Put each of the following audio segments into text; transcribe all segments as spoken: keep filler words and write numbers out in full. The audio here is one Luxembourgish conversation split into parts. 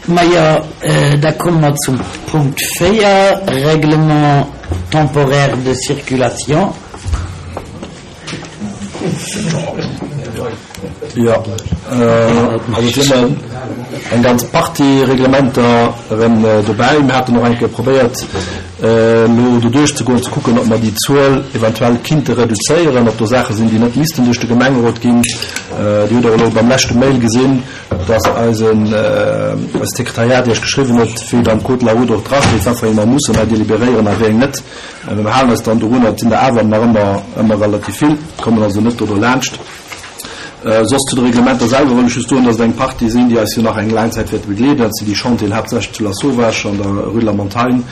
Majo, da komme mer zum Punkt véier, Règlement temporaire de circulation. Jo, also et sinn eng ganz Partie Reglementer erëm dobäi. Mir haten och eng Kéier probéiert, elo do duerchzegoen, ze kucken, ob mer déi Zuel eventuell kinnte reduzéieren, ob do Saache sinn, déi net missten duerch de Gemengerot ginn. Dir hutt och elo beim leschte Mail gesinn, dass eisen, eist Sekretariat Iech geschriwwen huet, wéi et am Code de la route och drasteet, wat fir eng mer mussen hei deliberéieren a wéi eng net. Mä mir halen eis dann dorunner. Et sinn der awer nach ëmmer, ëmmer relativ vill, kommen also net do dolaanscht. Soss zu de Reglementer selwer wëll ech just soen, dass et eng Partie sinn, déi eis jo nach eng laang Zäit wäerte begleeden. Dat sinn déi Chantieren haaptsächlech zu Lasauvage an der Rue de la Montagne,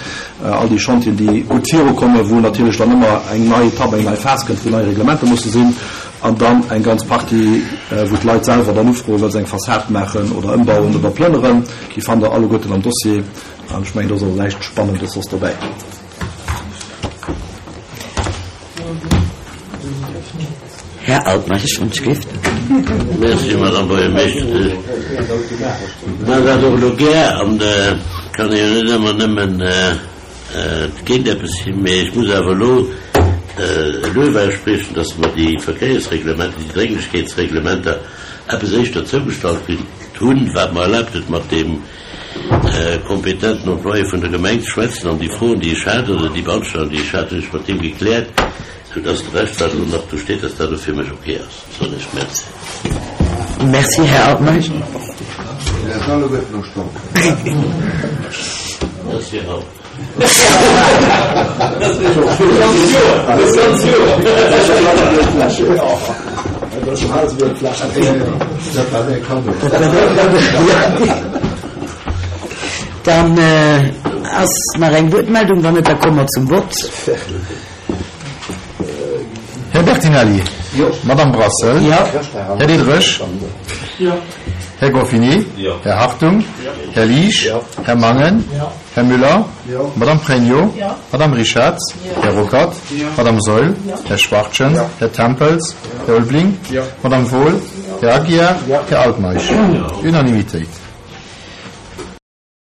all déi Chantieren, déi gutt virukommen, wou natierlech dann ëmmer eng nei Etapp, eng nei Phas kënnt, wou nei Reglementer musse sinn. An dann eng ganz Partie, wou d'Leit selwer dann ufroen, well se eng Fassad maachen oder ëmbauen oder plënneren. Déi fannt Der alleguerten am Dossier. An ech mengen, do ass och näischt Spannendes soss dobäi. Här Altmeisch, wann ech géif. Merci, Madame Buergermeeschtesch. Maachen dat och elo gär an kann ee jo net ëmmer nëmmen géint eppes sinn, mee ech muss awer elo e Luef ausspriechen, dass mer déi Verkéiersreglementer, déi Drénglechkeetsreglementer eppes éischter zougestallt kritt hunn, wat mer erlaabt huet, mat deem kompetenten Employé vun der Gemeng ze schwätzen an déi Froen, déi ech hat, oder déi Beanstandung, déi ech hat, hunn ech mat him gekläert, soudass de Rescht, wat elo nach do steet, dass dat och fir mech ok ass. Soen ech Merci. Merci, Här Altmeisch. Merci, Raoul. Dann ass nach eng Wuertmeldung, wann net, da komme mer zum Vott. Här Bertinelli. Madame Brassel. Här Diderich. Här Goffini. Här Hartung. Här Liesch. Här Mangen. Här Müller. Madame Pregno. Madame Richarz. Här Ruckert. Madame Saeul. Här Schwachtgen. Här Tempels. Här Ulveling. Madame Wohl. Här Aguiar. Här Altmeisch. Unanimitéit.